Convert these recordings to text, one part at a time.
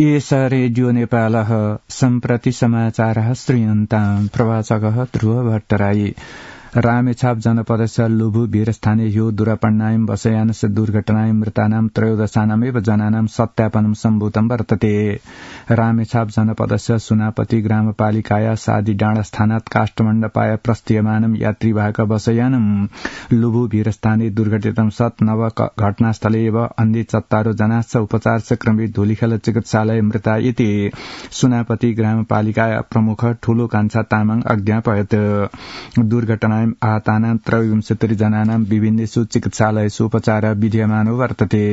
एष रेडियो नेपालः सम्प्रति समाचारः श्रूयन्ताम् प्रवाचकः ध्रुव भट्टराई रामेछाप जनपदस्य लुभु वीरस्थाने ह्यो दुरापण्णायं वशयानस्य दुर्घटनायं मृतानां त्रयोदशानामेव जनानां सत्यापनं सम्भूतं वर्तते। रामेछाप जनपदस्य सुनापति ग्रामपालिकाया सादी डाँडास्थानात् काष्ठमण्डपाय प्रस्थीयमानं यात्रीवाहक वशयानं लुभु वीरस्थाने दुर्घटितं सत् नव घटनास्थले एव अन्य 4 जनाश्च उपचारस्य क्रमे धुलीखेल चिकित्सालय मृता इति सुनापति ग्रामपालिका प्रमुख ठूलो कान्छा तामाङ अज्ञापयत्। दुर्घटना आहतानां 23 जनानां विभिन्नेषु चिकित्सालयेषु उपचारः विधीयमानो वर्तते।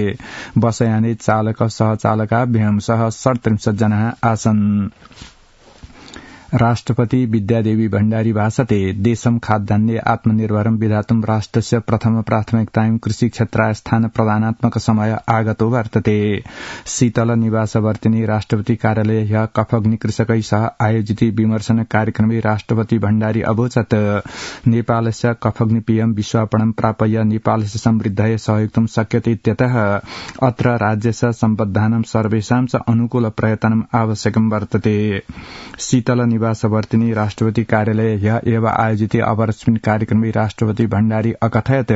वशयाने चालक सहचालकाभ्यां सह 37 जनाः आसन्। राष्ट्रपति विद्यादेवी भण्डारी भाषते देशं खाद्यान्ने आत्मनिर्भरं विधातुं राष्ट्रस्य प्रथम प्राथमिकतायां कृषि क्षेत्राय स्थान प्रदानात्मक समय आगतो वर्तते। शीतल निवासवर्तिनी राष्ट्रपति कार्यालय ह्य कफग्नि कृषकै सह आयोजित विमर्शन कार्यक्रमे राष्ट्रपति भण्डारी अवोचत् नेपालस्य कफग्नि पीयं विश्वापणं प्रापय्य नेपालस्य समृद्धये सहयोक्तुं शक्यते इत्यतः अत्र राज्यस्य सम्बद्धानां सर्वेषां च अनुकूल प्रयत्नम् आवश्यकं वर्तते। शीतल निवासवर्तिनी राष्ट्रपति कार्यालय ह्य एव आयोजित अपरस्मिन् कार्यक्रमे राष्ट्रपति भण्डारी अकथयत्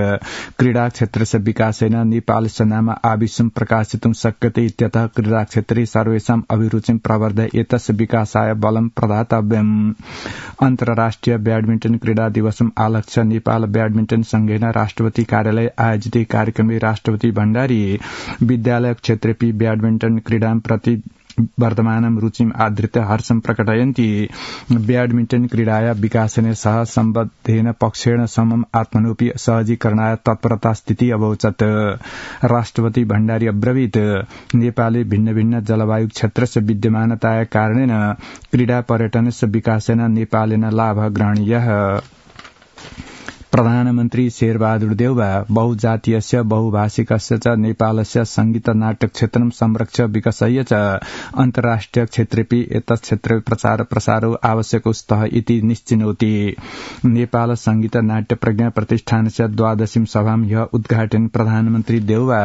क्रीडा क्षेत्रस्य विकासेन नेपालस्य नाम आविश्वं प्रकाशितुं शक्यते इत्यतः क्रीडा क्षेत्रे सर्वेषाम् अभिरुचिं प्रवर्धय एतस्य विकासाय बलं प्रदातव्यम्। अन्तर्राष्ट्रिय ब्याडमिण्टन क्रीडा दिवसम् आलक्ष्य नेपाल ब्याडमिण्टन संघेन राष्ट्रपति कार्यालय आयोजित कार्यक्रमे राष्ट्रपति भण्डारी विद्यालय क्षेत्रेपि ब्याडमिण्टन क्रीडां प्रति वर्तमानं रुचिम् आधृत्य हर्षं प्रकटयन्ति ब्याडमिण्टन क्रीडाया विकासेन सह सम्बद्धेन पक्षेण समम् आत्मनोऽपि सहजीकरणाय तत्परता स्थिति अवोचत्। राष्ट्रपति भण्डारी अब्रवीत् नेपाले भिन्न भिन्न जलवायु क्षेत्रस्य विद्यमानताया कारणेन क्रीडा पर्यटनस्य विकासेन नेपालेन लाभः ग्रहणीयः। प्रधानमन्त्री शेरबहादुर देउवा बहुजातीयस्य बहुभाषिकस्य च नेपालस्य संगीत नाटक क्षेत्रं संरक्ष्य विकसय्य च अन्तर्राष्ट्रिय क्षेत्रेपि एतत् क्षेत्रे प्रचार प्रसारो आवश्यको स्तः इति निश्चिनोति। नेपाल संगीत नाट्य प्रज्ञा प्रतिष्ठानस्य 12वीं सभां ह्य उद्घाटन प्रधानमन्त्री देउवा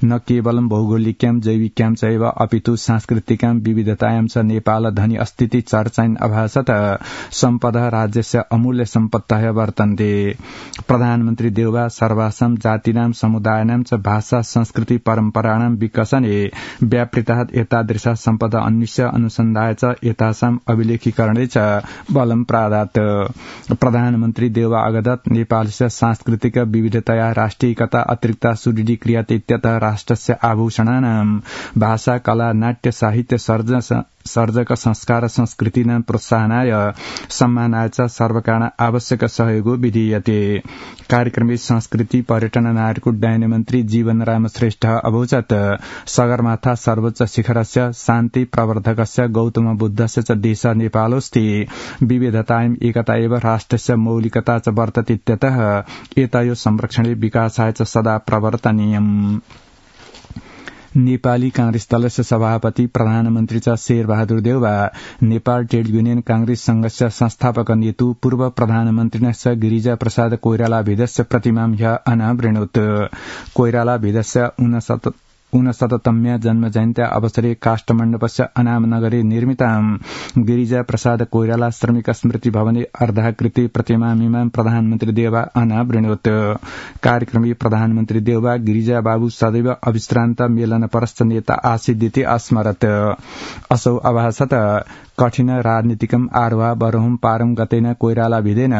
न केवलं भौगोलिक्यां जैविक्यां चैव अपितु सांस्कृतिकां विविधतायां च नेपाल धनी अस्तिति चर्चायन् अभासत सम्पदः राज्यस्य अमूल्य सम्पत्तयः वर्तन्ते। प्रधानमन्त्री देउवा सर्वासां जातीनां समुदायानां च भाषा संस्कृति परम्पराणां विकसने व्यापृतात् एतादृशा सम्पदा अन्विष्य अनुसन्धाय च एतासां अभिलेखीकरणे च बलं प्रादात्। प्रधानमन्त्री देउवा अगदत् नेपालस्य सांस्कृतिक विविधतया राष्ट्रियकता अतिरिक्ता सुदृढी क्रियाते इत्यतः राष्ट्रस्य आभूषणानां भाषा कला नाट्य साहित्य सर्जक संस्कार संस्कृतिनां प्रोत्साहनाय सम्मानाय च सर्वकारण आवश्यक सहयोगो विधीयते। कार्यक्रमे संस्कृति पर्यटन नायक उड्डयन मन्त्री जीवन राम श्रेष्ठ अवोचत् सगरमाथा सर्वोच्च शिखरस्य शान्ति प्रवर्धकस्य गौतम बुद्धस्य च देश नेपालोऽस्ति विविधतायाम् एकता एव राष्ट्रस्य मौलिकता च वर्तते इत्यतः एतयोः संरक्षणे विकासाय च सदा प्रवर्तनीयम्। नेपाली कांग्रेस दलस्य सभापति प्रधानमन्त्री च शेरबहादुर देउवा नेपाल ट्रेड युनियन कांग्रेस संघस्य संस्थापक नेतु पूर्व प्रधानमन्त्रिणस्य गिरिजा प्रसाद कोइराला भेदस्य प्रतिमां ह्य अनावृणोत्। कोइराला भेदस्य 69तम्या जन्मजयन्त्या अवसरे काष्ठमण्डपस्य अनामनगरे निर्मितां गिरिजा प्रसाद कोइराला श्रमिक स्मृति भवने अर्धाकृति प्रतिमामिमां प्रधानमन्त्री देउवा अनावृणोत्। कार्यक्रमे प्रधानमन्त्री देउवा गिरिजा बाबू सदैव अविश्रान्त मेलनपरश्च नेता आसीदिति अस्मरत्। असौ अभासत कठिन राजनीतिकम् आरोह बरहुं पारं गतेन कोइराला भिदेन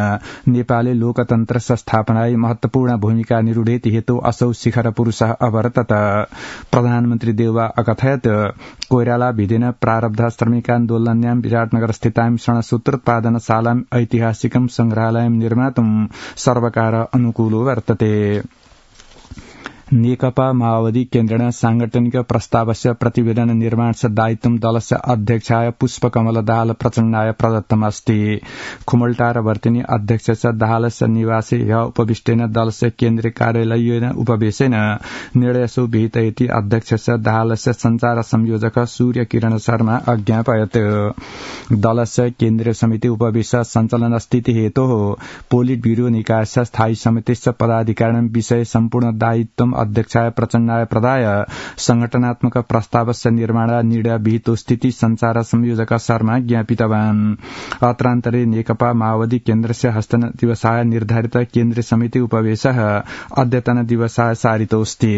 नेपाली लोकतन्त्रस्य स्थापनाय महत्वपूर्ण भूमिका निरूढेति हेतु असौ शिखर पुरुषः अवर्तत। प्रधानमन्त्री देउवा अकथयत् कोइराला भिदेन प्रारब्ध श्रमिकान्दोलन्यां विराटनगर स्थितां शरणसूत्रोत्पादनशालां ऐतिहासिकं संग्रहालयं निर्मातुं सर्वकार अनुकूलो वर्तते। नेकपा माओवादी केन्द्रेण सांगठनिक प्रस्तावस्य प्रतिवेदन निर्माणस्य दायित्वं दलस्य अध्यक्षाय पुष्पकमल दाहाल प्रचण्डाय प्रदत्तमस्ति। खुमलटार वर्तिनी अध्यक्षस्य दाहालस्य निवासे ह्य उपविष्टेन दलस्य केन्द्रीय कार्यालयेन उपवेशेन निर्णयसु विहितयति अध्यक्षस्य दाहालस्य संचार संयोजक सूर्य किरण शर्मा अज्ञापयत्। दलस्य केन्द्रीय समिति उपवेश सञ्चालन स्थिति हेतोः पोलिट ब्यूरो निकायस्य स्थायी समितिस्य पदाधिकारिणां विषये सम्पूर्ण दायित्वम् अध्यक्षाय प्रचण्डाय प्रदाय संगठनात्मक प्रस्तावस्य निर्माण निर्णय विहितो स्थिति संचार संयोजक शर्मा ज्ञापितवान्। अत्रान्तरे नेकपा माओवादी केन्द्रस्य हस्तन दिवसाय निर्धारित केन्द्रीय समिति उपवेशः अद्यतन दिवसाय सारितोऽस्ति।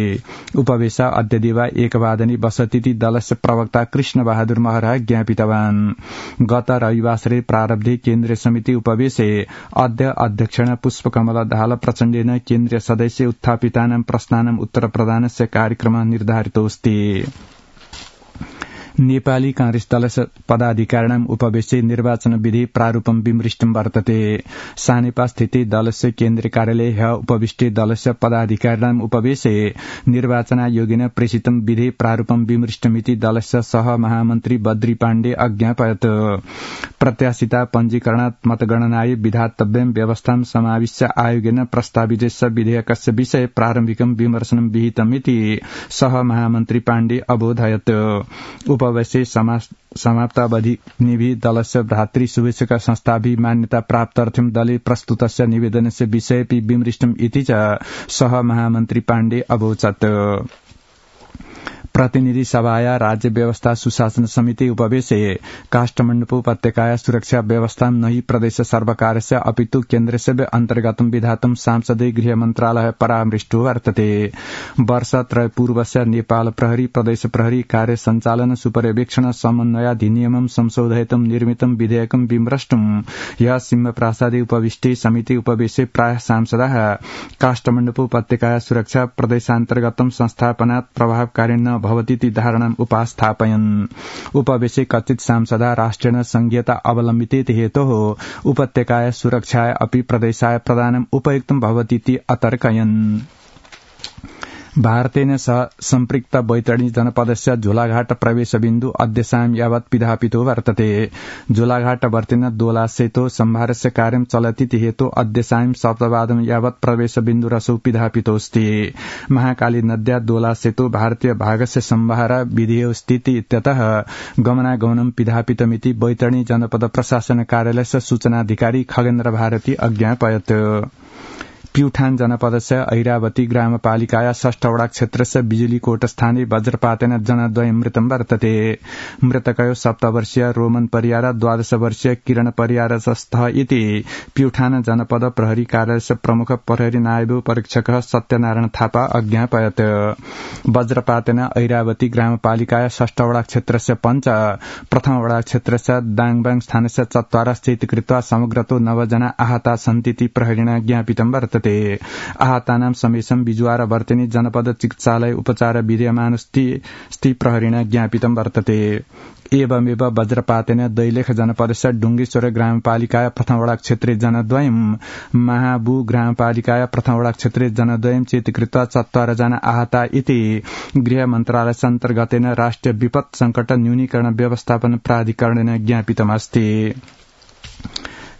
उपवेश अद्यदिव 1 बसतीति दलस्य प्रवक्ता कृष्ण बहादुर महरा ज्ञापितवान्। गत रविवासरे प्रारब्धे केन्द्रीय समिति उपवेशे अद्य अध्यक्षेण पुष्पकमल दाहाल प्रचण्डेन केन्द्रीय सदस्य उत्थापितानां प्रश्नानां उत्तरप्रदानस्य कार्यक्रमः निर्धारितोऽस्ति। नेपाली कांग्रेस दलस्य पदाधिकारिणाम् उपवेशे निर्वाचन विधि प्रारूपं विमृष्टं वर्तते। सानेपा स्थिते दलस्य केन्द्रीय कार्यालये ह्यः उपविष्टे दलस्य पदाधिकारिणाम् उपवेशे निर्वाचनायोगेन प्रेषितं विधि प्रारूपं विमृष्टमिति दलस्य सह महामन्त्री बद्री पाण्डे अज्ञापयत्। प्रत्याशिता पञ्जीकरणात् मतगणनाय विधातव्यं व्यवस्थां समाविश्य आयोगेन प्रस्तावितस्य विधेयकस्य विषये प्रारम्भिकं विमर्शनं विहितमिति सह महामन्त्री पाण्डे अबोधयत्। उपवेशे समाप्तावधि दलस्य भ्रातृ शुभेच्छुक संस्थाभि मान्यता प्राप्त्यर्थं दले प्रस्तुतस्य निवेदनस्य विषयेऽपि विमृष्टम् इति च सह महामन्त्री पाण्डे अवोचत्। प्रतिनिधि सभाया राज्य व्यवस्था सुशासन समिति उपवेशे काष्ठमण्डप उपत्यकाया सुरक्षा व्यवस्था नहि प्रदेश सर्वकारस्य अपितु केन्द्रस्य अन्तर्गतं विधातुं सांसदीय गृह मन्त्रालय परामृष्टो वर्तते। वर्षत्रय पूर्वस्य नेपाल प्रहरी प्रदेश प्रहरी कार्य संचालन सुपर्यवेक्षण समन्वयाधिनियमं संशोधयितुं निर्मितं विधेयकं विमृष्टुं ह्यः सिंहप्रासादे उपविष्टे समिति उपवेशे प्रायः सांसदाः काष्ठमण्डप उपत्यकाया सुरक्षा प्रदेशान्तर्गतं संस्थापनात् प्रभावकारिण्य भवतीति धारणाम् उपास्थापयन्। उपवेशे कथित सांसदा राष्ट्रेण संघीयता अवलम्बितेति हेतोः उपत्यकाय सुरक्षाय अपि प्रदेशाय प्रदानम् उपयुक्तं भवतीति अतर्कयन्। भारतेन सह सम्पृक्त बैतडी जनपदस्य झोलाघाट प्रवेशबिन्दु अद्य सायं यावत् पिधापितो वर्तते। झोलाघाटवर्तिन दोलासेतो सम्भारस्य कार्यं चलतीति हेतु अद्य सायं 7 यावत् प्रवेशबिन्दुरसौ पिधापितोऽस्ति। महाकाली नद्या दोलासेतो भारतीय भागस्य सम्भार विधेयोस्तीति इत्यतः गमनागमनं पिधापितमिति बैतडी जनपद प्रशासन कार्यालयस्य सूचनाधिकारी खगेन्द्र भारती अज्ञापयत्। प्युठान जनपदस्य ऐरावती ग्रामपालिकाया 6 वडा क्षेत्रस्य बिजुलीकोट स्थाने वज्रपातेन जनद्वयं मृतं वर्तते। मृतकयो 7 वर्षीय रोमन परियार 12 वर्षीय किरण परियार स्तः इति प्युठान जनपद प्रहरी कार्यालयस्य प्रमुख प्रहरी नायब परीक्षक सत्यनारायण थापा अज्ञापयत्। वज्रपातेन ऐरावती ग्रामपालिकाया 6 वडा क्षेत्रस्य पञ्च प्रथम वडा क्षेत्रस्य दाङबाङ स्थानस्य 4 स्थित कृत्वा समग्रतो 9 जना आहता सन्तीति प्रहरीणा ज्ञापितं वर्तते। आहतानां समेषां बिजुवार वर्तिनी जनपद चिकित्सालय उपचार विद्यमानस्ति प्रहरीणा ज्ञापितं वर्तते। एवमेव वज्रपातेन दैलेख जनपदस्य डुङ्गेश्वर ग्रामपालिकाया प्रथम वडा क्षेत्रे जनद्वयं महाबु ग्रामपालिकाया प्रथम वडा क्षेत्रे जनद्वयं चेतीकृत्वा 4 जना आहता इति गृह मन्त्रालयस्य अन्तर्गतेन राष्ट्रिय विपत् संकट न्यूनीकरण व्यवस्थापन प्राधिकरणेन ज्ञापितमस्ति।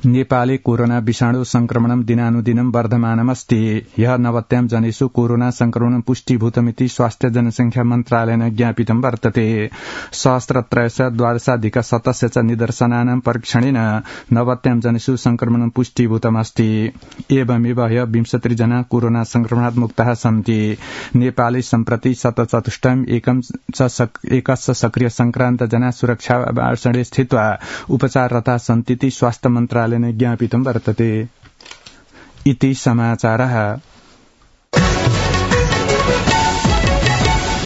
नेपाले कोरोना विषाणु संक्रमणं दिनानुदिनं वर्धमानमस्ति। ह्यः 90 जनेषु कोरोना संक्रमणं पुष्टीभूतमिति स्वास्थ्य जनसंख्या मन्त्रालयेन ज्ञापितं वर्तते। सहस्रत्रयस्य 12,700 च निदर्शनानां परीक्षणेन 90 जनेषु संक्रमणं पुष्टीभूतमस्ति। एवमेव ह्यः 23 जना कोरोना संक्रमणात् मुक्ताः सन्ति। नेपाले सम्प्रति 104 एकस्य सक्रिय संक्रान्त जना सुरक्षावासणे स्थित्वा उपचाररताः सन्तीति स्वास्थ्य मन्त्रालयेन ज्ञापितं वर्तते। इति समाचारः।